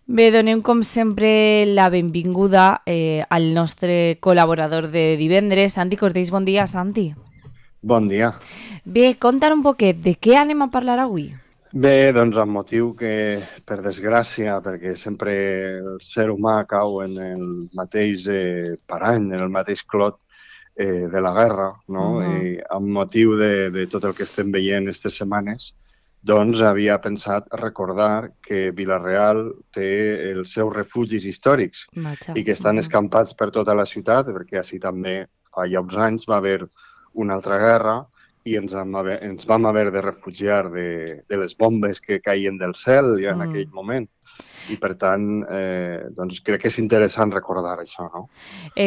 Bé, donem com sempre la benvinguda al nostre col·laborador de divendres, Santi Cortés. Bon dia, Santi. Bon dia. Bé, conta'n un poquet de què anem a parlar avui. Bé, doncs amb motiu que, per desgràcia, perquè sempre el ser humà cau en el mateix parany, en el mateix clot de la guerra, no? I amb motiu de tot el que estem veient aquestes setmanes, doncs havia pensat recordar que Vila-real té els seus refugis històrics Vaja. i que estan escampats per tota la ciutat, perquè així també fa ja uns anys va haver una altra guerra i ens vam haver de refugiar de les bombes que caien del cel ja en aquell moment. I, per tant, doncs crec que és interessant recordar això, no?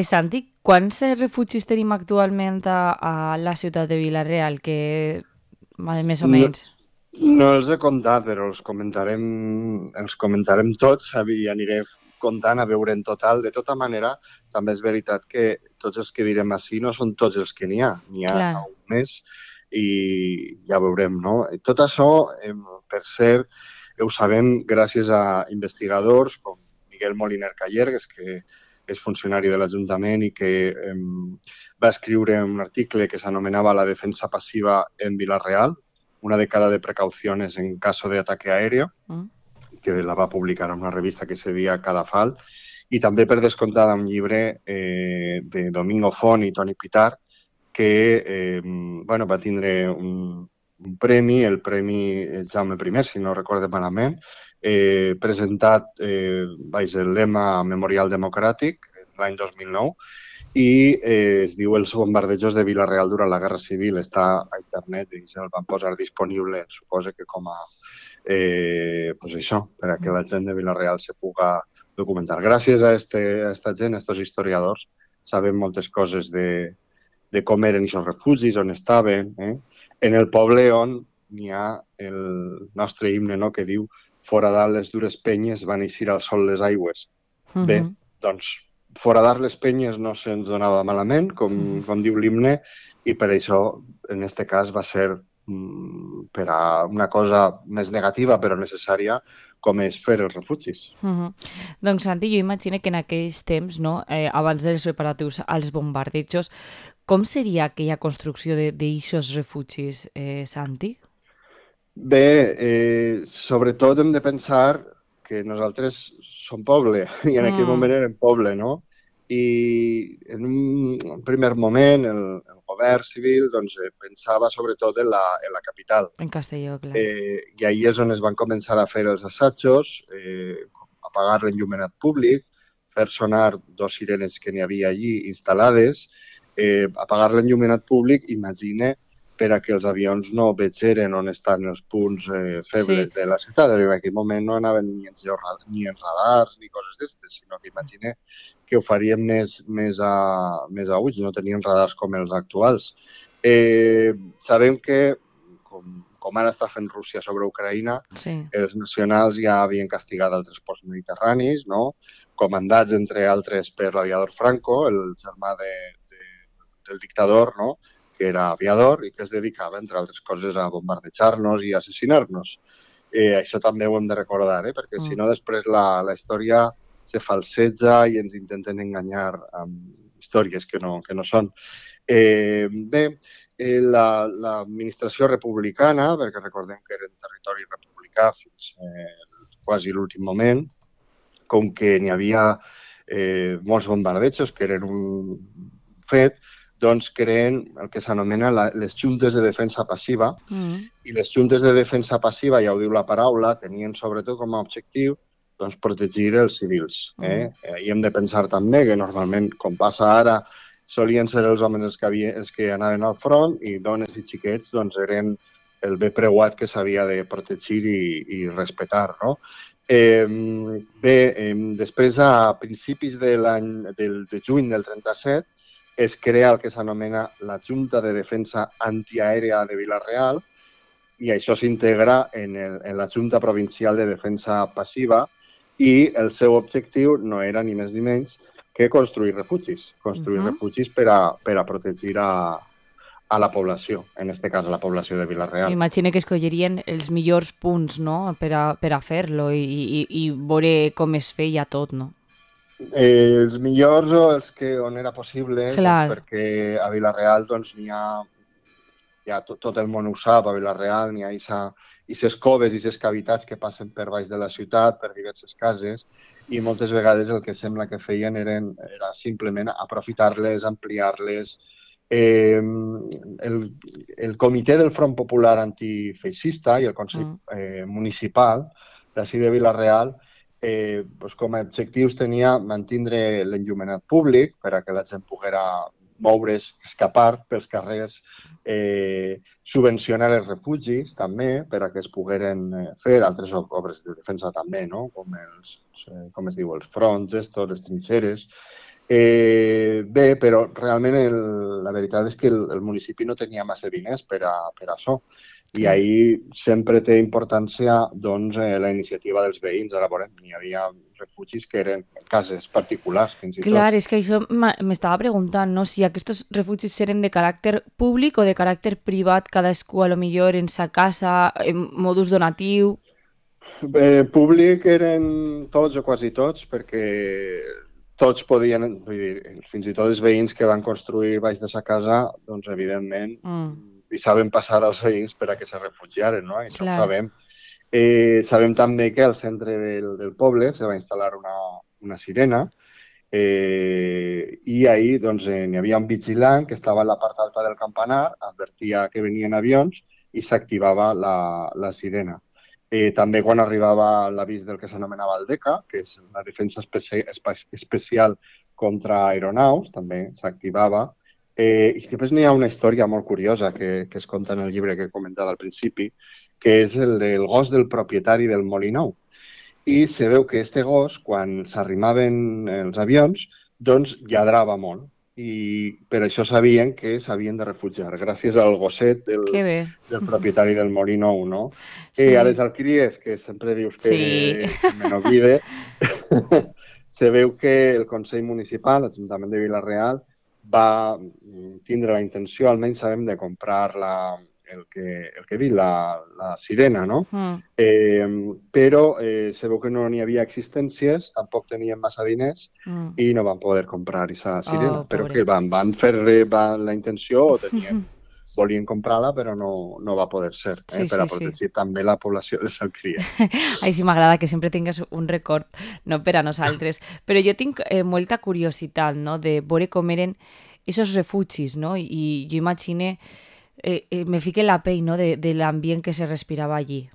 Santi, quants refugis tenim actualment a la ciutat de Vila-real? Que, més o No, menys. no els he comptat, però els comentarem tots i aniré comptant a veure en total. De tota manera, també és veritat que tots els que direm així no són tots els que n'hi ha. N'hi ha Clar. un més i ja veurem, no? Tot això, per cert, ho sabem gràcies a investigadors com Miguel Moliner Calleres, que és funcionari de l'Ajuntament i que va escriure un article que s'anomenava La defensa passiva en Vila-real, una década de precauciones en caso de ataque aéreo, que la va publicar en una revista que se deia Cadafal, i també per descomptar un llibre de Domingo Font i Toni Pitar, que va tindre un premi, el Premi Jaume I, si no recordo malament, presentat baix el lema Memorial Democràtic l'any 2009, i es diu Els bombardejos de Vila-real durant la Guerra Civil. Està a internet i se'l van posar disponible, suposo que com a pues això, per a que la gent de Vila-real se puga documentar. Gràcies a esta gent, a estos historiadors, sabem moltes coses de com eren aquests refugis, on estaven, en el poble on n'hi ha el nostre himne, no?, que diu «Fora dalt les dures penyes van eixir al sol les aigües». Bé, doncs foradar les penyes no se'ns donava malament, com diu l'himne, i per això, en aquest cas, va ser per a una cosa més negativa però necessària, com és fer els refugis. Doncs, Santi, jo imagino que en aquells temps, no, abans dels preparatius als bombardejos, com seria aquella construcció d'aixos refugis, Santi? Bé, sobretot hem de pensar que nosaltres som poble i en aquell moment érem poble, no? I en un primer moment el govern civil doncs, pensava sobretot en la capital. En Castelló, clar. I ahir és on es van començar a fer els assajos, apagar l'enllumenat públic, fer sonar dos sirenes que n'hi havia allí instal·lades, apagar l'enllumenat públic, imagina, per a que els avions no vegeren on estan els punts febles de la ciutat. En aquell moment no anaven ni en radars ni coses d'estes, sinó que imagina que ho farien més a ulls, no tenien radars com els actuals. Sabem que, com ara està fent Rússia sobre Ucraïna, els nacionals ja havien castigat altres ports mediterranis, no?, comandats, entre altres, per l'aviador Franco, el germà del dictador, no?, que era aviador i que es dedicava, entre altres coses, a bombardejar-nos i assassinar-nos. Això també ho hem de recordar, perquè si no després la història se falseja i ens intenten enganyar amb històries que no són. Bé, l'administració republicana, perquè recordem que era en territori republicà fins quasi l'últim moment, com que n'hi havia molts bombardejos que eren un fet, doncs creen el que s'anomena les juntes de defensa passiva, i les juntes de defensa passiva, ja ho diu la paraula, tenien sobretot com a objectiu doncs, protegir els civils. I hem de pensar també que normalment, com passa ara, solien ser els homes els que anaven al front i dones i xiquets doncs, eren el bé preuat que s'havia de protegir i respetar, no? Després, a principis de juny del 37, es crea el que s'anomena la Junta de Defensa Antiaèria de Vila-real i això s'integra en la Junta Provincial de Defensa Passiva i el seu objectiu no era ni més ni menys que construir refugis per a protegir a a la població, en aquest cas a la població de Vila-real. M'imagino que escollerien els millors punts, no?, per a fer-lo i veure com es feia tot, no? Els millors o els que on era possible, doncs Clar. perquè a Vila-real doncs, n'hi ha, ja tot el món ho sap, a Vila-real n'hi ha aquestes coves i aquestes cavitats que passen per baix de la ciutat, per diverses cases, i moltes vegades el que sembla que feien era simplement aprofitar-les, ampliar-les. El comitè del Front Popular Antifeixista i el Consell Municipal d'ací de Vila-real doncs com a objectius tenia mantindre l'enllumenat públic per a que la gent poguera moure's, escapar pels carrers, subvencionar els refugis també per a que es pogueren fer altres obres de defensa també, no? Com es diu, els fronts, les trinxeres. Bé, però realment la veritat és que el municipi no tenia massa diners per a això. I ahir sempre té importància doncs, la iniciativa dels veïns. Ara veurem, n'hi havia refugis que eren cases particulars, fins i tot. Clar, és que això m'estava preguntant, no?, si aquests refugis eren de caràcter públic o de caràcter privat, cadascú a lo millor en sa casa, en modus donatiu. Públic eren tots o quasi tots, perquè tots podien, vull dir, fins i tot els veïns que van construir baix de sa casa, doncs evidentment deixaven passar als veïns per a que se refugiaren, no? Això ho sabem. Sabem també que al centre del poble se va instal·lar una sirena i ahir doncs, n'hi havia un vigilant que estava a la part alta del campanar, advertia que venien avions i s'activava la sirena. També quan arribava l'avís del que s'anomenava el DECA, que és la defensa especial contra aeronaus, també s'activava. I després n'hi ha una història molt curiosa que es conta en el llibre que comentava al principi, que és el del gos del propietari del Molí Nou. I se veu que este gos, quan s'arrimaven els avions, doncs lladrava molt. I per això sabien que s'havien de refugiar, gràcies al gosset del propietari del Molí Nou, no? Sí. A les alqueries, que sempre dius que me n'oblide, se veu que el Consell Municipal, l'Ajuntament de Vila-real, va tindre la intenció, almenys sabem, de comprar el que he dit, la sirena, no? Però se veu que no n'hi havia existències, tampoc tenien massa diners i no van poder comprar aquesta sirena. Però que van fer la intenció o volien comprar-la, però no va poder ser, per a protegir també la població de Salcria. Ai, sí, m'agrada que sempre tingues un record, no, per a nosaltres. Però jo tinc molta curiositat, no?, de veure com eren aquests refugis, no? I jo imagine, me fique la pell, no?, de l'ambient que se respirava allí.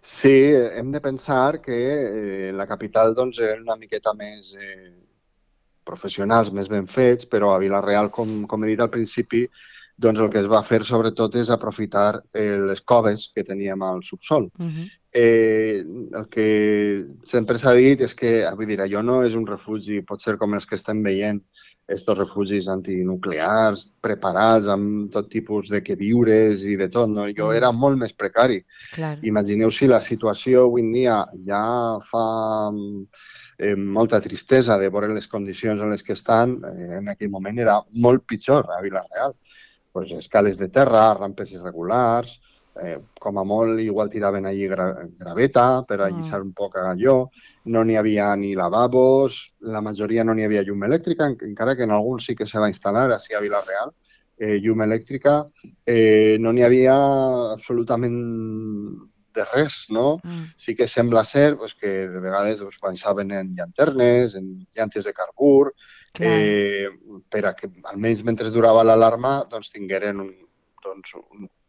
Sí, hem de pensar que la capital doncs, eren una miqueta més professionals, més ben fets, però a Vila-real, com he dit al principi, doncs el que es va fer sobretot és aprofitar les coves que teníem al subsol. El que sempre s'ha dit és que, vull dir, allò no és un refugi, pot ser com els que estem veient, estos refugis antinuclears, preparats amb tot tipus de queviures i de tot, no? Allò era molt més precari. Imagineu si la situació avui en dia ja fa molta tristesa de veure les condicions en les que estan, en aquell moment era molt pitjor a Vila-real. Pues escales de terra, rampes irregulars, com a molt igual tiraven allí graveta per allisar un poc allò, no n'hi havia ni lavabos, la majoria no n'hi havia llum elèctrica, encara que en alguns sí que se va instal·lar així a Vila-real, llum elèctrica, no n'hi havia absolutament de res, no? Sí que sembla ser que de vegades pensaven en llanternes, en llantes de carbur, per a que almenys mentre durava l'alarma doncs tingueren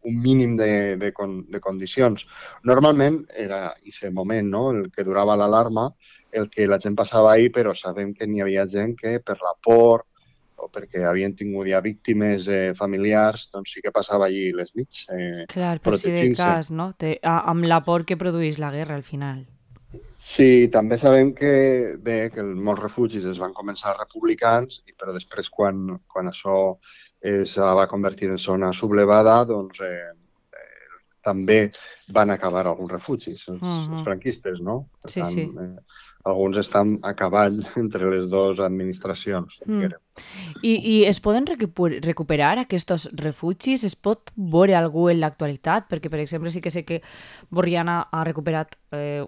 un mínim de condicions. Normalment era aquest moment, no?, el que durava l'alarma, el que la gent passava ahir, però sabem que n'hi havia gent que per la por o perquè havien tingut ja víctimes familiars, doncs sí que passava allí les nits protegint-se. Per si de cas, no?, amb la por que produeix la guerra al final. Sí, també sabem que molts refugis es van començar republicans, però després quan això es va convertir en zona sublevada, doncs també van acabar alguns refugis, els Mhm. franquistes, no? Per Sí, tant, sí. alguns estan a cavall entre les dues administracions, Mm. diguem. I es poden recuperar aquests refugis? Es pot veure algú en l'actualitat? Perquè, per exemple, sí que sé que Borriana ha recuperat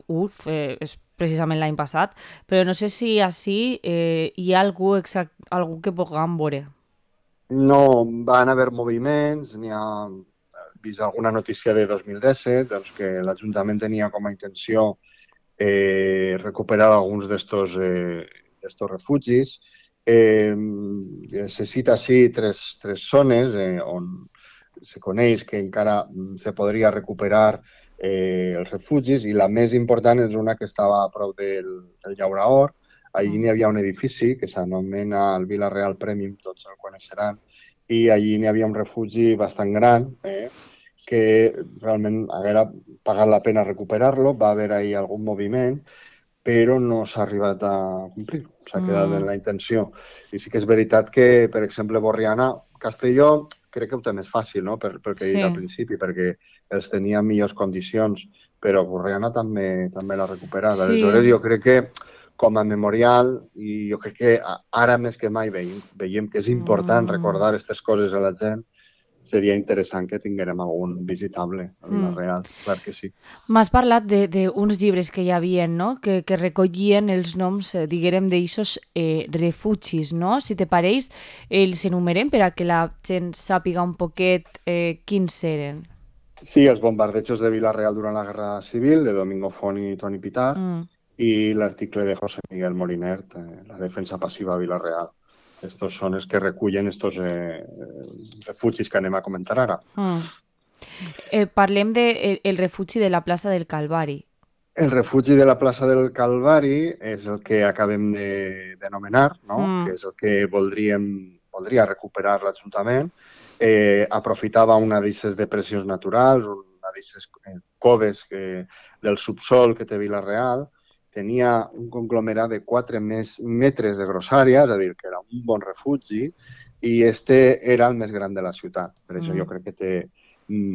URF, és precisament l'any passat, però no sé si així hi ha algú que puguem veure. No van haver moviments, n'hi ha vist alguna notícia de 2017, doncs que l'Ajuntament tenia com a intenció recuperar alguns d'estos refugis. Se cita així tres zones on se coneix que encara se podria recuperar els refugis i la més important és una que estava a prop del Llauraor. Allí Mm. n'hi havia un edifici que s'anomena el Vila Real Premium, tots el coneixeran, i allí n'hi havia un refugi bastant gran, que realment haguera pagat la pena recuperar-lo. Va haver ahir algun moviment, però no s'ha arribat a complir. S'ha quedat en Mm. la intenció. I sí que és veritat que, per exemple, Borriana, Castelló, crec que ho té més fàcil, no? Pel que he dit al Sí, principi, perquè els tenia en millors condicions, però Borriana també l'ha recuperat. sí. Aleshores, jo crec que com a memorial, i jo crec que ara més que mai veiem que és important Mm. recordar aquestes coses a la gent, seria interessant que tinguérem algun visitable a Mm. Vila-real, clar que sí. M'has parlat d'uns llibres que hi havia, no? Que recollien els noms, diguérem, d'eixos refugis, no? Si te pareix, els enumerem per a que la gent sàpiga un poquet quins eren. Sí, els bombardejos de Vila-real durant la Guerra Civil, de Domingo Font i Toni Pitar, Mm. i l'article de José Miguel Molinert, La defensa passiva a Vila-real. Estos són els que recullen estos refugis que anem a comentar ara. Mm. Parlem de el refugi de la plaça del Calvari. El refugi de la plaça del Calvari és el que acabem d'anomenar, no? Mm. Que és el que voldria recuperar l'Ajuntament. Aprofitava una d'aquestes depressions naturals, una d'aquestes coves del subsol que té Vila-real. Tenia un conglomerat de 4 metres de grossària, és a dir, que era un bon refugi, i este era el més gran de la ciutat. Per això jo Mm. crec que té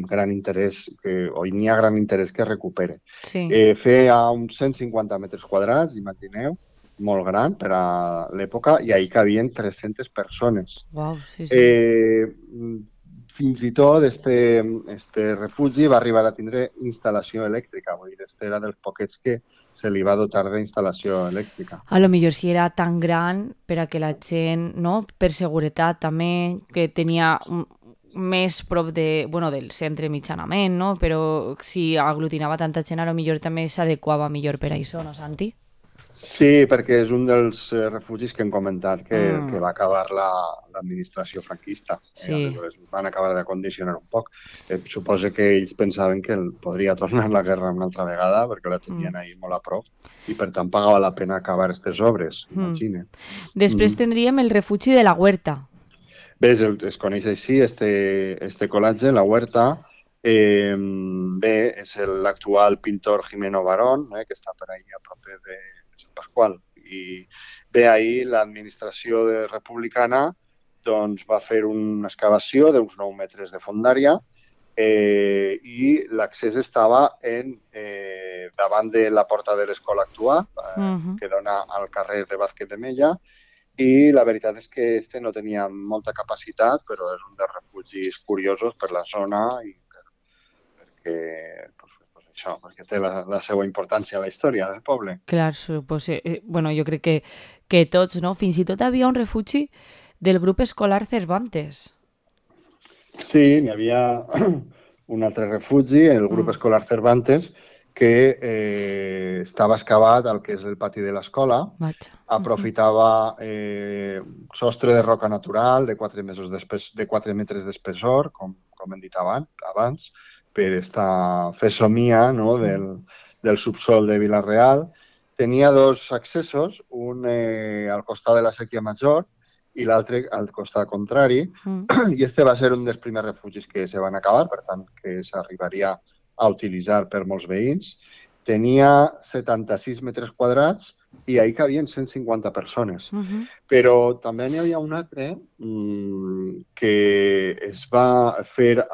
gran interès, o n'hi ha gran interès que es recupere. Sí. Feia uns 150 metres quadrats, imagineu, molt gran per a l'època, i ahir cabien 300 persones. Uau, sí, sí. Eh, Fins i tot este refugi va arribar a tindre instal·lació elèctrica, vull dir, este era dels poquets que se li va dotar d'instal·lació elèctrica. A lo millor si era tan gran per a que la gent, no? Per seguretat també, que tenia més prop bueno, del centre mitjanament, no? Però si aglutinava tanta gent, a lo millor també s'adequava millor per a això, no, Santi? Sí, perquè és un dels refugis que hem comentat que Mm, va acabar l'administració franquista. sí. Aleshores van acabar de condicionar un poc. Suposo que ells pensaven que podria tornar la guerra una altra vegada perquè la Mm, tenien ahí molt a prop i per tant pagava la pena acabar aquestes obres, mm. imagina. Després tindríem el refugi de la Huerta. Bé, es coneix així, este col·latge, la Huerta. Bé, és l'actual pintor Jimeno Barón, que està per ahí a prop de Sant Pasqual. I bé, ahir l'administració republicana doncs, va fer una excavació d'uns 9 metres de fondària i l'accés estava davant de la porta de l'escola actual, Mhm. que dona al carrer de Vázquez de Mella, i la veritat és que este no tenia molta capacitat, però és un dels refugis curiosos per la zona i perquè, pues això, perquè té la seva importància a la història del poble. Clar, pues, bueno, jo crec que tots, no? Fins i tot havia un refugi del grup escolar Cervantes. Sí, n'hi havia un altre refugi, el grup Mm. escolar Cervantes, que estava excavat al que és el pati de l'escola, Vaja. Mhm. aprofitava sostre de roca natural de 4 metres d'espessor, com hem dit abans per fer somia, no, del subsol de Vila-real. Tenia dos accessos, un al costat de la Sèquia Major i l'altre al costat contrari, Mm. i este va ser un dels primers refugis que se van acabar, per tant, que s'arribaria a utilitzar per molts veïns. Tenia 76 metres quadrats i ahir cabien 150 persones. Mhm. Però també n'hi havia un altre que es va fer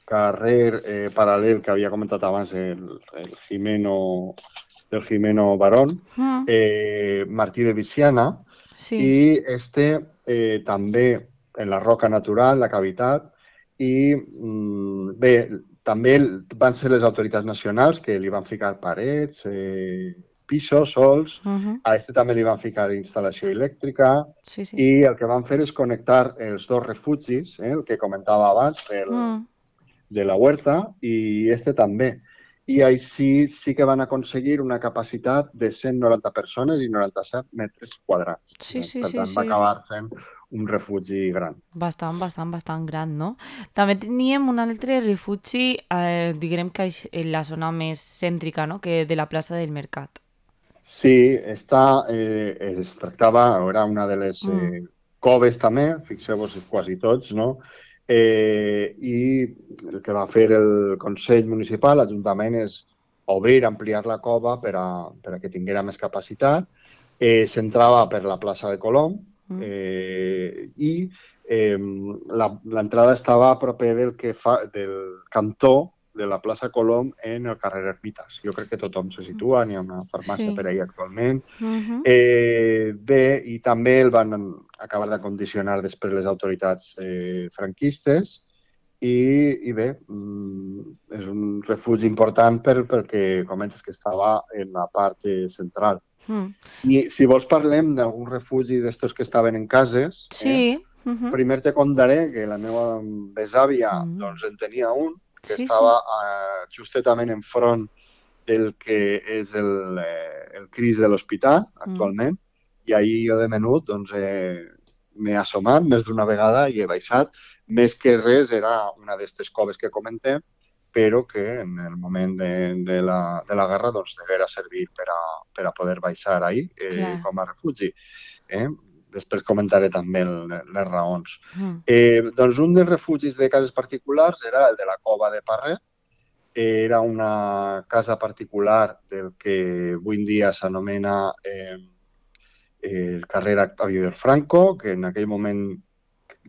carrer paral·lel que havia comentat abans, del Jimeno Barón, Mm, Martí de Viciana, sí. i també en la roca natural, la cavitat, i bé, també van ser les autoritats nacionals que li van ficar parets, pisos, sols, Mhm. a també li van ficar instal·lació elèctrica, Sí, sí. i el que van fer és connectar els dos refugis, el que comentava abans, Mm. de la Huerta, i també. I així sí que van aconseguir una capacitat de 190 persones i 97 metres quadrats. Sí, sí, Per sí, tant, va sí. acabar sent un refugi gran. Bastant, bastant, bastant gran, no? També teníem un altre refugi, diguem que és en la zona més cèntrica, no? Que de la plaça del Mercat. Sí, es tractava, era una de les Mm. coves també, fixeu-vos quasi tots, no? I el que va fer el Consell Municipal, l'Ajuntament, és obrir, ampliar la cova per a que tinguera més capacitat. S'entrava per la plaça de Colom Mm. i l'entrada estava a proper del cantó de la plaça Colom en el carrer Ermitas. Jo crec que tothom se situa, n'hi ha una farmàcia per Sí. ahir actualment. Mhm. Bé, i també el van acabar de condicionar després les autoritats franquistes i bé, és un refugi important perquè comentes que estava en la part central. Mm. I si vols parlem d'algun refugi d'estos que estaven en cases, Sí. Mhm. primer te contaré que la meva besàvia Mm. doncs, en tenia un que Sí, estava sí. justament enfront del que és el CRIS de l'hospital Mm. actualment, i ahir jo de menut doncs, m'he assomat més d'una vegada i he baixat. Més que res era una d'aquestes coves que comentem, però que en el moment de la guerra doncs, deguera servir per a poder baixar ahir Clar. com a refugi. Eh? Després comentaré també les raons. Mm. Doncs un dels refugis de cases particulars era el de la Cova de Parret. Era una casa particular del que avui en dia s'anomena el carrer Aviador Franco, que en aquell moment,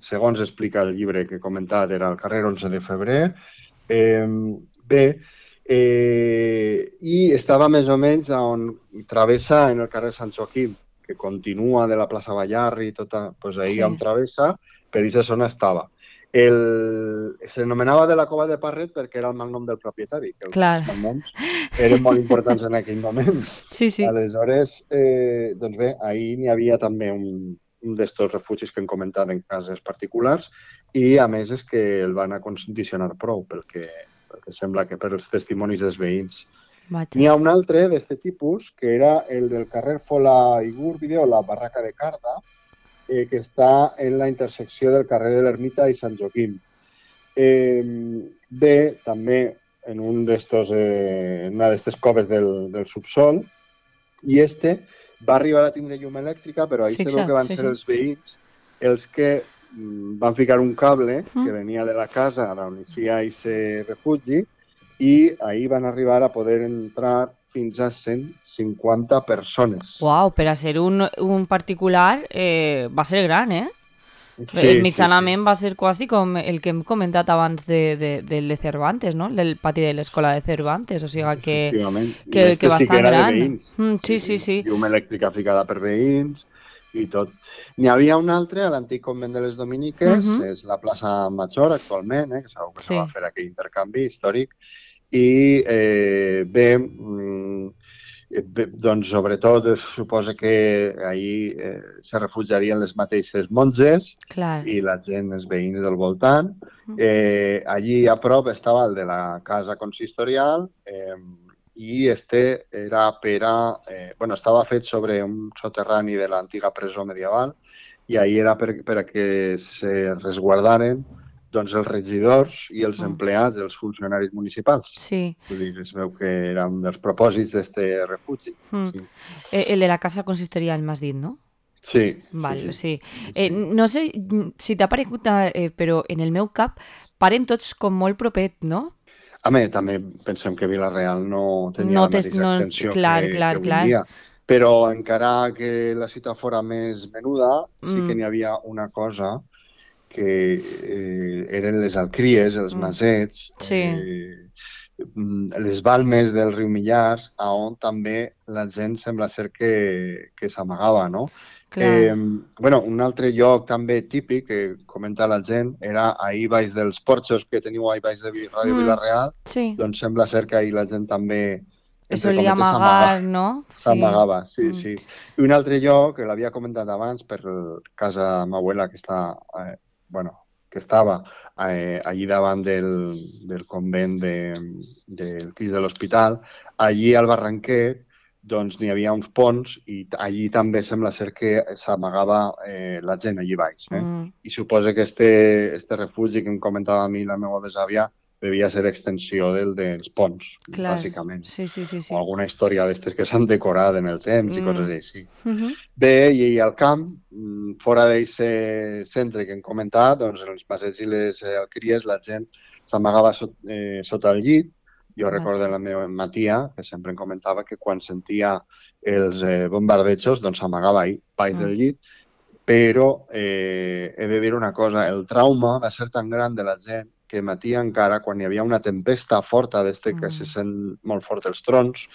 segons explica el llibre que he comentat, era el carrer 11 de febrer. Bé, i estava més o menys on travessa en el carrer Sant Joaquim, que continua de la plaça Ballarri i tota, doncs ahir on Sí. travessa, per aquesta zona estava. S'anomenava de la Cova de Parret perquè era el malnom del propietari, que els Clar. malnoms eren molt importants en aquell moment. Sí, sí. Aleshores, doncs bé, ahir n'hi havia també un d'estos refugis que hem comentat en cases particulars i a més és que el van acondicionar prou perquè sembla que per els testimonis dels veïns. N'hi Vaja. ha un altre d'aquest tipus que era el del carrer Fola i Gúrbide o la Barraca de Carda, que està en la intersecció del carrer de l'Ermita i Sant Joaquim. Bé, també en una d'estes coves del subsol, i va arribar a tindre llum elèctrica, però ahir se veu que Fixa't, van sí, ser sí. els veïns els que van ficar un cable que Mm. venia de la casa on hi ha aquest refugi i ahir van arribar a poder entrar fins a 150 persones. Uau, per a ser un particular va ser gran, eh? Sí, sí, sí. Mitjanament va ser quasi com el que hem comentat abans del de Cervantes, no? Del pati de l'escola de Cervantes, o sigui Efectivament. I que sí que bastant era de gran. veïns. Sí, Sí, sí. sí, sí. Llum elèctrica ficada per veïns i tot. N'hi havia un altre a l'antic convent de les Dominiques, Mhm. és la plaça Major actualment, que sabeu que se va Sí. fer aquell intercanvi històric. I bé, doncs sobretot suposa que ahir se refugiarien les mateixes monges Clar. i la gent, els veïns del voltant. Mm. Allí a prop estava el de la casa consistorial i era bueno, estava fet sobre un soterrani de l'antiga presó medieval i ahir era per a que se resguardaren doncs, els regidors i els Mm. empleats, els funcionaris municipals. Sí. Vull dir, es veu que era un dels propòsits d'aquest refugi. Mm. Sí, El de la casa consistorial, m'has dit, no? sí, sí. Val, sí. sí. sí. No sé si t'ha paregut, però en el meu cap paren tots com molt propet, no? També pensem que Vila-real no tenia No la té... mateixa No, extensió clar, que clar, avui en clar. dia, però encara que la ciutat fora més menuda, sí que Mm. n'hi havia una cosa eren les alcries, els masets, Sí, les balmes del riu Millars, on també la gent sembla ser que s'amagava, no? clar. Bueno, un altre lloc també típic que comenta la gent era ahir baix dels porxos que teniu ahir baix de Ràdio Mm, Vila-real, sí, doncs sembla ser que ahir la gent també, es entre solía cometes, s'amagava. amagar, ¿no? Sí. S'amagava, sí, Mm, sí. I un altre lloc, que l'havia comentat abans, per casa ma abuela, que està, bueno, que estava allí davant del convent del Crist de l'Hospital, allí al Barranquet, doncs n'hi havia uns ponts i allí també sembla ser que s'amagava la gent allí baix. mm, I suposa que este refugi que em comentava a mi la meva besàvia devia ser extensió dels ponts, claro. bàsicament Sí, sí, sí, o sí. alguna història d'aquestes que s'han decorat en el temps i coses Mm, així. ujú, Bé, i al camp, fora d'aquest centre que hem comentat, doncs en els passeigs i les alqueries la gent s'amagava sota el llit. Jo recordo vaja. la meva tia, que sempre em comentava que quan sentia els bombardejos, doncs s'amagava ahí, baix Mm, del llit, però he de dir una cosa, el trauma va ser tan gran de la gent que matia encara quan hi havia una tempesta forta d'este que se mm. sent molt fort els trons,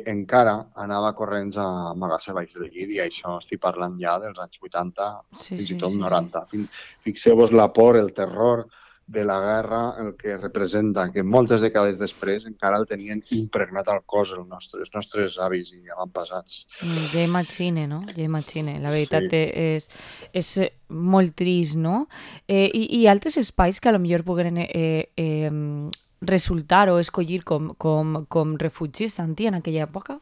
encara anava corrents a amagar-se baix del llit i això estic parlant ja dels anys 80, Sí, fins i sí, tot sí, sí. 90. Fixeu-vos la por, el terror de la guerra, el que representa, que moltes dècades després encara el tenien impregnat al cos els nostres avis i avantpassats. Ja imagine, no? Ja imagine. La veritat Sí. és molt trist, no? I altres espais que a lo millor puguen resultar o escollir com refugis, Santi, en aquella època?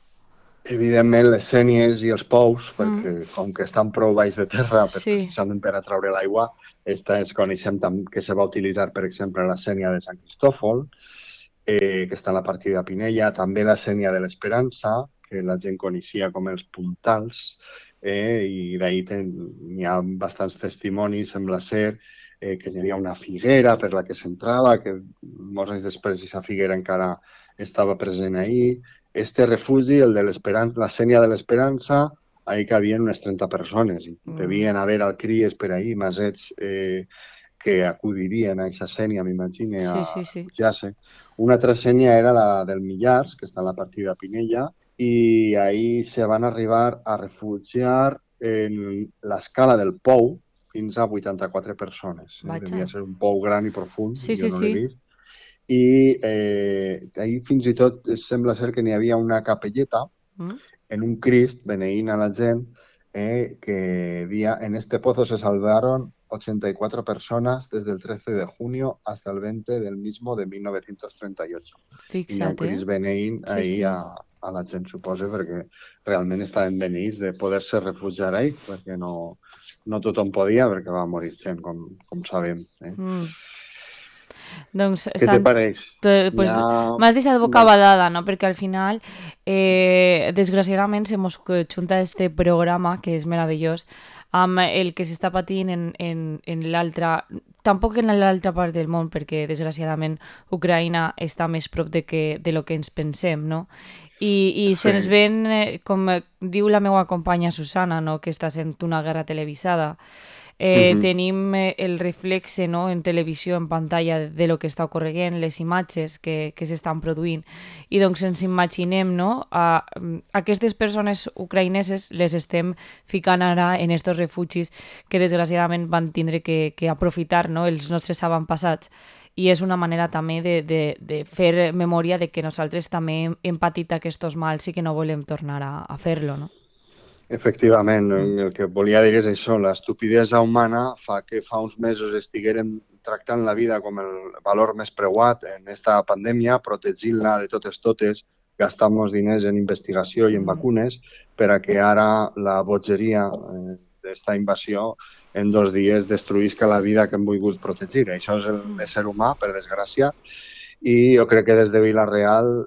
Evidentment, les sénies i els pous, Mm, perquè com que estan prou baix de terra, sí. precisament per atraure l'aigua, es coneixem que se va utilitzar, per exemple, la sénia de Sant Cristòfol, que està a la partida de Pinella, també la sénia de l'Esperança, que la gent coneixia com els puntals, i d'ahir n'hi ha bastants testimonis, sembla ser, que hi havia una figuera per la que s'entrava, que molts anys després aquesta figuera encara estava present ahir. Este refugi, el de l'Esperança, la Sènia de l'Esperança, ahir cabien unes 30 persones i Mm, devien haver alcries per ahir, masets que acudirien a aquesta sènia, m'imagine, a sí, sí, sí. refugiar-se. Una altra sènia era la del Millars, que està a la partida de Pinella, i ahir se van arribar a refugiar en l'escala del Pou fins a 84 persones. Devia Vaja. ser un pou gran i profund, Sí, jo sí, no l'he sí. vist. I ahir fins i tot sembla ser que n'hi havia una capelleta Mm, en un Crist beneint a la gent que dia en este pozo se salvaron 84 personas desde el 13 de junio hasta el 20 del mismo de 1938. I n'hi ha un fixa't, eh? Crist beneint Sí, ahir sí. a la gent, suposa, perquè realment estaven beneïts de poder-se refugiar ahir, perquè no tothom podia, perquè va morir gent, com sabem. Mm. Doncs, Què te Sant, pareix? Hi pues, ha m'has deixat boca una... badada, no? Perquè al final, desgraciadament, se mos junta este programa, que és meravellós, amb el que s'està patint en l'altra... Tampoc en l'altra part del món, perquè desgraciadament Ucraïna està més prop de lo que ens pensem, no? I Sí. se'ns ven, com diu la meva companya Susana, no? Que està sent una guerra televisada, Uh -huh. tenim el reflexe, no? En televisió, en pantalla, de lo que està ocorrent, les imatges que s'estan produint. I doncs ens imaginem, no? Aquestes persones ucraïneses les estem ficant ara en estos refugis que desgraciadament van tindre que aprofitar, no? Els nostres avantpassats. I és una manera també de fer memòria de que nosaltres també hem patit aquests mals i que no volem tornar a fer-lo, no? Efectivament, Mm. el que volia dir és això, l'estupidesa humana fa que fa uns mesos estiguérem tractant la vida com el valor més preuat en esta pandèmia, protegint-la de totes, gastant els diners en investigació i en Mm. vacunes, per a que ara la bogeria d'esta invasió en 2 dies destruïsca la vida que hem volgut protegir. Això és l'ésser humà, per desgràcia, i jo crec que des de Vila-real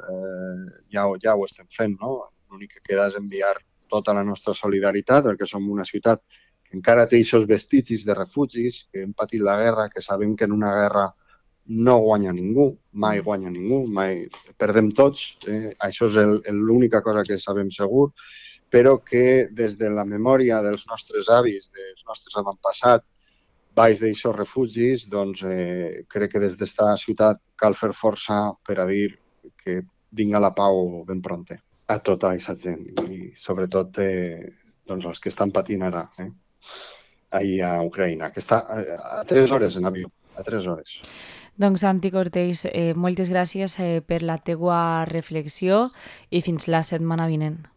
ja ho estem fent, no? L'únic que queda és enviar tota la nostra solidaritat, perquè som una ciutat que encara té aquests vestigis de refugis, que hem patit la guerra, que sabem que en una guerra no guanya ningú, mai Mm. guanya ningú, mai perdem tots, això és l'única cosa que sabem segur, però que des de la memòria dels nostres avis, dels nostres avantpassats, baix d'aixòs refugis, doncs crec que des d'esta ciutat cal fer força per a dir que vinga la pau ben pronte a tota aquesta gent i sobretot doncs els que estan patint ara ahir a Ucraïna, que està a 3 hores en avió, a 3 hores. Doncs Santi Cortés, moltes gràcies per la teua reflexió i fins la setmana vinent.